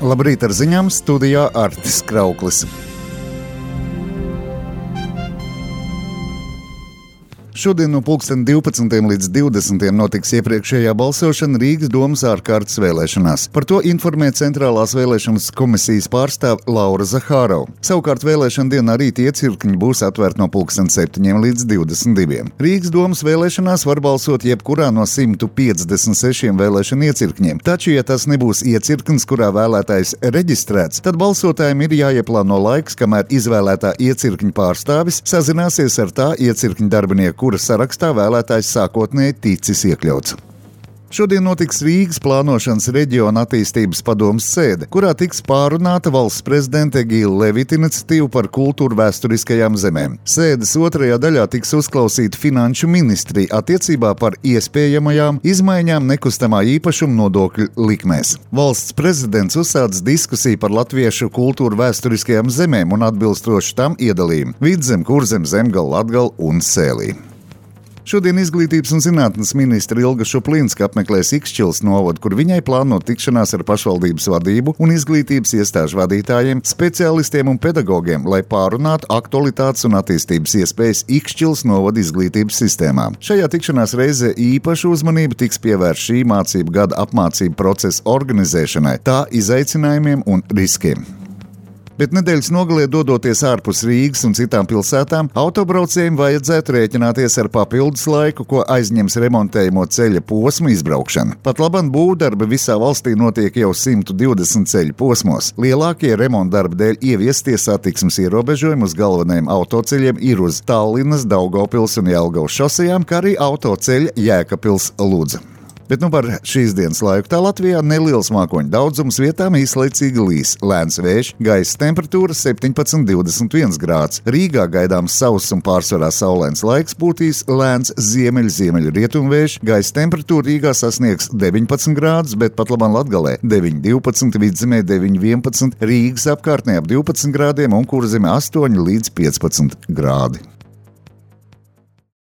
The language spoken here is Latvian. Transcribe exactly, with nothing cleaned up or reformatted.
Labrīt ar ziņām, studijā Artis Krauklis. Šodien no pulksten divpadsmitiem līdz divdesmitiem notiks iepriekšējā balsošana Rīgas domas ārkārtas vēlēšanās. Par to informē Centrālās vēlēšanas komisijas pārstāve Laura Zahārova. Savukārt vēlēšana dienā rīt iecirkņi būs atvērti no pulksten septiņiem līdz divdesmit diviem. Rīgas domas vēlēšanās var balsot jebkurā no simtu piecdesmit sešiem vēlēšana iecirkņiem. Taču, ja tas nebūs iecirknis, kurā vēlētājs reģistrēts, tad balsotājiem ir jāieplāno laiks, kamēr izvēlētā iecirkņa pārstāvis sazināsies ar tā iecirkņa darbinieku, kuras sarakstā vēlētājs sākotnēji ticis iekļauts. Šodien notiks Rīgas plānošanas reģiona attīstības padomes sēde, kurā tiks pārunāta valsts prezidenta Egīla Levita iniciatīva par kultūru vēsturiskajām zemēm. Sēdes otrajā daļā tiks uzklausīta finanšu ministrija attiecībā par iespējamajām izmaiņām nekustamā īpašuma nodokļu likmēs. Valsts prezidents uzsācis diskusiju par latviešu kultūru vēsturiskajām zemēm un atbilstoši tam iedalījumu Vidzem, Kurzem, Zemgala, Latgala un Sēlī. Šodien izglītības un zinātnes ministra Ilga Šuplīnska apmeklēs Ikšķilas novadu, kur viņai plāno tikšanās ar pašvaldības vadību un izglītības iestāžu vadītājiem, speciālistiem un pedagogiem, lai pārunātu aktualitātes un attīstības iespējas Ikšķilas novada izglītības sistēmā. Šajā tikšanās reizē īpaša uzmanība tiks pievērsta šī mācību gada apmācību procesa organizēšanai, tā izaicinājumiem un riskiem. Bet nedēļas nogalē dodoties ārpus Rīgas un citām pilsētām, autobraucējiem vajadzētu rēķināties ar papildus laiku, ko aizņems remontējamo ceļa posmu izbraukšana. Pat labam būvdarbi visā valstī notiek jau simt divdesmit ceļu posmos. Lielākie remontdarbi dēļ ieviestie satiksmes ierobežojumi uz galvenajiem autoceļiem ir uz Tallinas, Daugavpils un Jelgavas šosejām, kā arī autoceļa Jēkabpils Ludza. Bet nu par šīs dienas laiku tā Latvijā neliels mākoņu daudzums, vietām īslaicīgi līs, lēns vējš, gaisa temperatūra septiņpadsmit līdz divdesmit viens grāds. Rīgā gaidāms sauss un pārsvarā saulains laiks, būtīs lēns ziemeļ-ziemeļu rietumvējš, gaisa temperatūra Rīgā sasniegs deviņpadsmit grādus, bet pat labam Latgalē deviņi divpadsmit, Vidzemē deviņi vienpadsmit, Rīgas apkārtnē ap divpadsmit grādiem un Kurzemē astoņi līdz piecpadsmit grādi.